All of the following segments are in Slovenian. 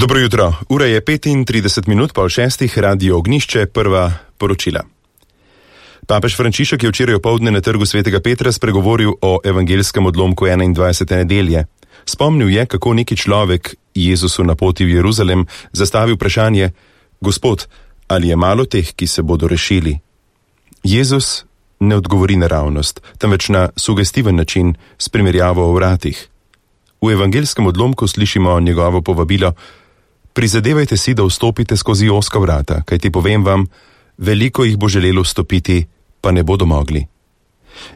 Dobro jutro, ura je 35 minut po 6, Radio Ognjišče, prva poročila. Papež Frančišek je včeraj opoldne na trgu Svetega Petra spregovoril o evangelskem odlomku 21. nedelje. Spomnil je, kako neki človek Jezusu na poti v Jeruzalem zastavi vprašanje: Gospod, ali je malo teh, ki se bodo rešili? Jezus ne odgovori naravnost, temveč na sugestiven način s primerjavo o vratih. V evangelskem odlomku slišimo njegovo povabilo: prizadevajte si, da vstopite skozi ozka vrata, kajti povem vam, veliko jih bo želelo vstopiti, pa ne bodo mogli.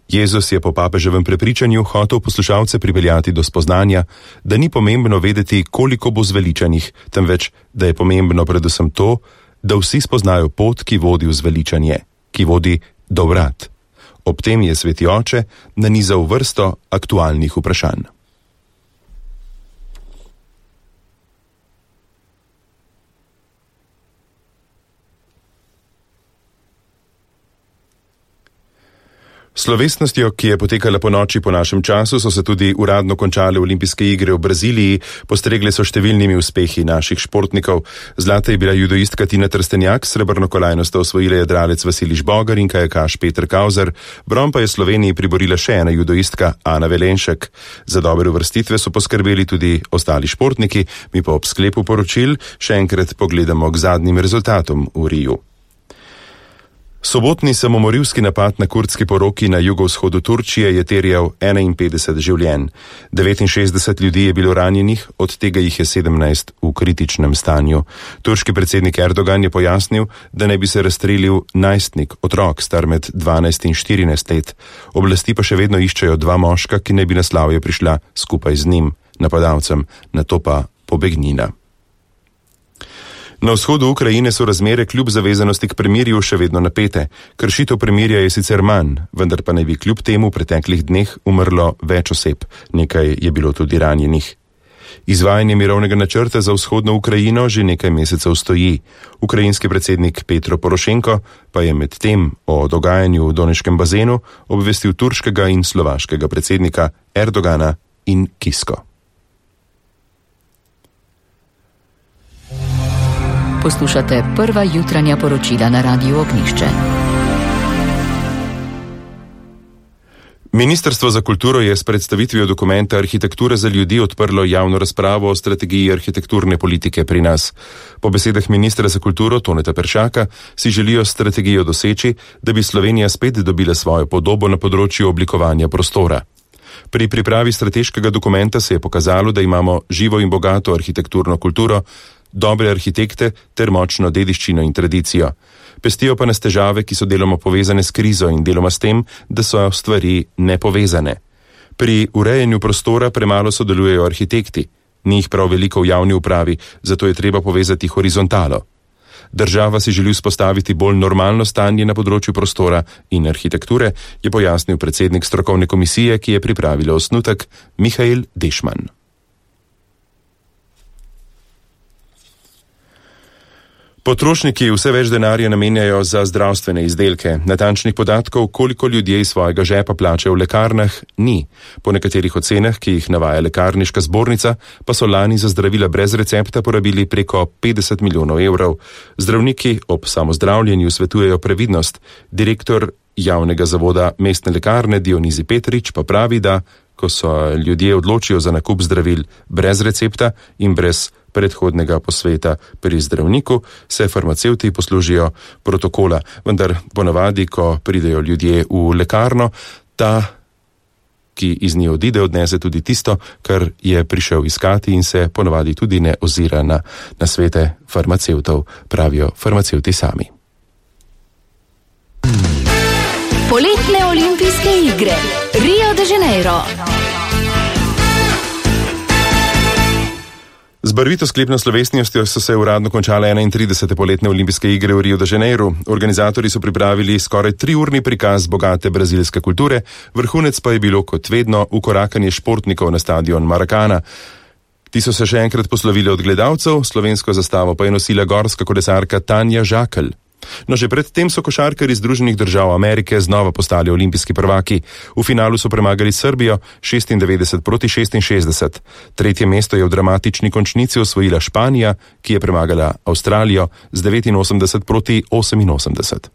Jezus je po papeževem prepričanju hotel poslušalce pripeljati do spoznanja, da ni pomembno vedeti, koliko bo zveličanih, temveč, da je pomembno predvsem to, da vsi spoznajo pot, ki vodi v zveličanje, ki vodi do vrat. Ob tem je Sveti Oče nanizal vrsto aktualnih vprašanj. Slovesnostjo, ki je potekala po noči po našem času, so se tudi uradno končale olimpijske igre v Braziliji, postregle so številnimi uspehi naših športnikov. Zlata je bila judoistka Tina Trstenjak, srebrno kolajno sta osvojila jadralec Vasilij Žbogar in kajakaš Peter Kauzer, bron pa je Sloveniji priborila še ena judoistka Ana Velenšek. Za dobre uvrstitve so poskrbeli tudi ostali športniki, mi pa ob sklepu poročil še enkrat pogledamo k zadnjim rezultatom v Riju. Sobotni samomorilski napad na kurdski poroki na jugovzhodu Turčije je terjal 51 življenj. 69 ljudi je bilo ranjenih, od tega jih je 17 v kritičnem stanju. Turški predsednik Erdogan je pojasnil, da ne bi se razstrelil najstnik, otrok, star med 12 in 14 let. Oblasti pa še vedno iščejo dva moška, ki ne bi na slavje prišla skupaj z njim, napadalcem, nato pa pobegnila. Na vzhodu Ukrajine so razmere kljub zavezanosti k premirju še vedno napete. Kršitev premirja je sicer manj, vendar pa naj bi kljub temu v preteklih dneh umrlo več oseb, nekaj je bilo tudi ranjenih. Izvajanje mirovnega načrta za vzhodno Ukrajino že nekaj mesecev stoji. Ukrajinski predsednik Petro Porošenko pa je med tem o dogajanju v Doneškem bazenu obvestil turškega in slovaškega predsednika Erdogana in Kisko. Poslušate prva jutranja poročila na Radiu Ognjišče. Ministrstvo za kulturo je s predstavitvijo dokumenta Arhitektura za ljudi odprlo javno razpravo o strategiji arhitekturne politike pri nas. Po besedah ministra za kulturo Toneta Peršaka si želijo strategijo doseči, da bi Slovenija spet dobila svojo podobo na področju oblikovanja prostora. Pri pripravi strateškega dokumenta se je pokazalo, da imamo živo in bogato arhitekturno kulturo, dobre arhitekte ter močno dediščino in tradicijo. Pestijo pa nas težave, ki so deloma povezane s krizo in deloma s tem, da so stvari nepovezane. Pri urejanju prostora premalo sodelujejo arhitekti, ni jih prav veliko v javni upravi, zato je treba povezati horizontalo. Država si želi vzpostaviti bolj normalno stanje na področju prostora in arhitekture, je pojasnil predsednik strokovne komisije, ki je pripravila osnutek, Mihael Dešman. Potrošniki vse več denarja namenjajo za zdravstvene izdelke. Natančnih podatkov, koliko ljudje iz svojega žepa plačajo v lekarnah, ni. Po nekaterih ocenah, ki jih navaja lekarniška zbornica, pa so lani za zdravila brez recepta porabili preko 50 milijonov evrov. Zdravniki ob samozdravljenju svetujejo previdnost. Direktor javnega zavoda mestne lekarne Dionizi Petrič pa pravi, da ko se ljudje odločijo za nakup zdravil brez recepta in brez predhodnega posveta pri zdravniku, se farmacevti poslužijo protokola. Vendar ponavadi, ko pridejo ljudje v lekarno, ta, ki iz nje odide, odnese tudi tisto, kar je prišel iskati in se ponavadi tudi ne ozira na svete farmacevtov, pravijo farmacevti sami. Poletne olimpijske igre Rio de Janeiro. Z barvito sklepno slovesnostjo so se uradno končale 31. poletne olimpijske igre v Rio de Janeiro. Organizatorji so pripravili skoraj 3-urni prikaz bogate brazilske kulture, vrhunec pa je bilo kot vedno ukorakanje športnikov na stadion Maracana. Ti so se še enkrat poslovili od gledalcev, slovensko zastavo pa je nosila gorska kolesarka Tanja Žakelj. No, že predtem so košarkarji Združenih držav Amerike znova postali olimpijski prvaki. V finalu so premagali Srbijo 96-66. Tretje mesto je v dramatični končnici osvojila Španija, ki je premagala Avstralijo z 89-88.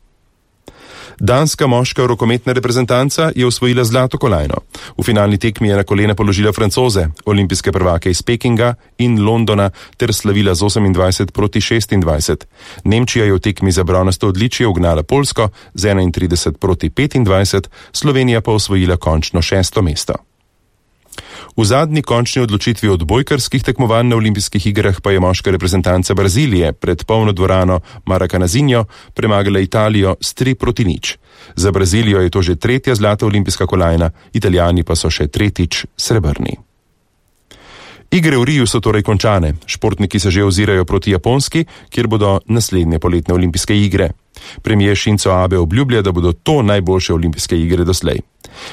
Danska moška rokometna reprezentanca je osvojila zlato kolajno. V finalni tekmi je na kolena položila Francoze, olimpijske prvake iz Pekinga in Londona, ter slavila z 28-26. Nemčija je v tekmi za bronasto odličje ugnala Poljsko z 31-25, Slovenija pa osvojila končno 6. mesto. V zadnji končni odločitvi odbojkarskih tekmovanj na olimpijskih igrah pa je moška reprezentanca Brazilije pred polno dvorano Maracanazinho premagala Italijo s 3-0. Za Brazilijo je to že tretja zlata olimpijska kolajna, Italijani pa so še tretjič srebrni. Igre v Riju so torej končane. Športniki se že ozirajo proti Japonski, kjer bodo naslednje poletne olimpijske igre. Premier Shinzo Abe obljublja, da bodo to najboljše olimpijske igre doslej.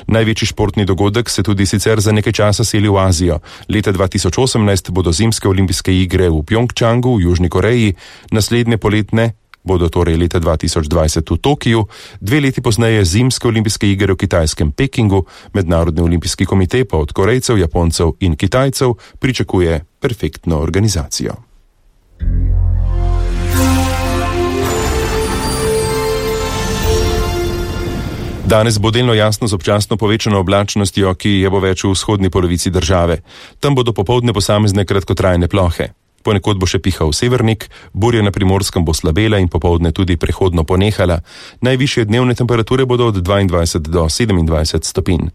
Največji športni dogodek se tudi sicer za nekaj časa seli v Azijo. Leta 2018 bodo zimske olimpijske igre v Pjongčangu v Južni Koreji, naslednje poletne bodo torej leta 2020 v Tokiju, 2 leti pozneje zimske olimpijske igre v kitajskem Pekingu. Mednarodni olimpijski komitej pa od Korejcev, Japoncev in Kitajcev pričakuje perfektno organizacijo. Danes bo delno jasno z občasno povečano oblačnostjo, ki je bo več v vzhodni polovici države. Tam bodo popoldne posamezne kratkotrajne plohe. Ponekod bo še pihal severnik, burja na Primorskem bo slabela in popoldne tudi prehodno ponehala. Najvišje dnevne temperature bodo od 22 do 27 stopinj.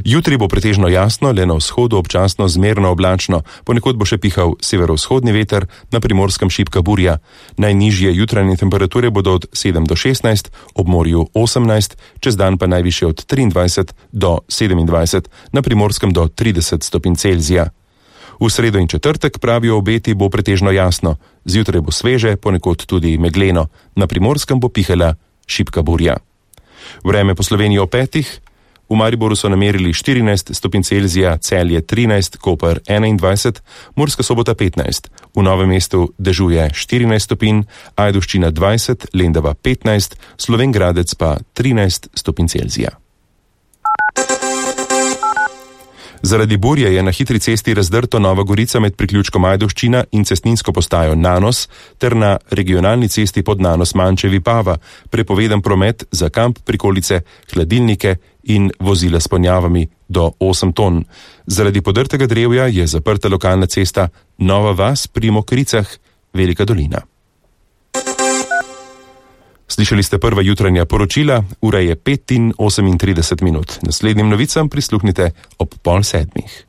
Jutri bo pretežno jasno, le na vzhodu občasno zmerno oblačno, ponekod bo še pihal severovzhodni veter, na Primorskem šibka burja. Najnižje jutranje temperature bodo od 7 do 16, ob morju 18, čez dan pa najvišje od 23 do 27, na Primorskem do 30 stopinj Celzija. V sredo in četrtek, pravijo obeti, bo pretežno jasno. Zjutraj bo sveže, ponekod tudi megleno. Na Primorskem bo pihala šibka burja. Vreme po Sloveniji o 5. V Mariboru so namerili 14 stopinj Celzija, Celje 13, Koper 21, Murska Sobota 15. V Novem mestu dežuje 14 stopinj, Ajdovščina 20, Lendava 15, Slovenj Gradec pa 13 stopinj Celzija. Zaradi burje je na hitri cesti razdrto Nova Gorica med priključkom Ajdovščina in cestninsko postajo Nanos ter na regionalni cesti pod Nanos Mančevi Pava prepovedan promet za kamp, prikolice, hladilnike in vozila s ponjavami do 8 ton. Zaradi podrtega drevja je zaprta lokalna cesta Nova Vas pri Mokricah, Velika Dolina. Slišali ste prva jutranja poročila, ura je 5:38. Naslednjim novicam prisluhnite ob 6:30.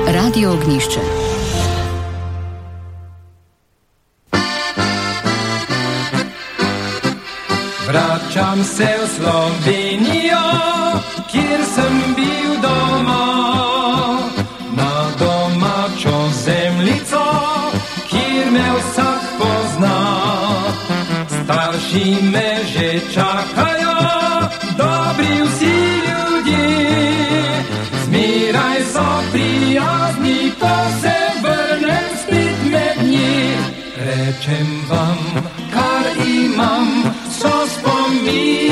Radio Ognišče. Vračam se v Slovenijo, kjer sem bil doma, na domačo zemljico, kjer me vsak pozna. Starši me že čakajo, dobri vsi ljudje, zmeraj so prijazni, ko se vrnem spet med njih. Rečem vam, kar imam, so spomini.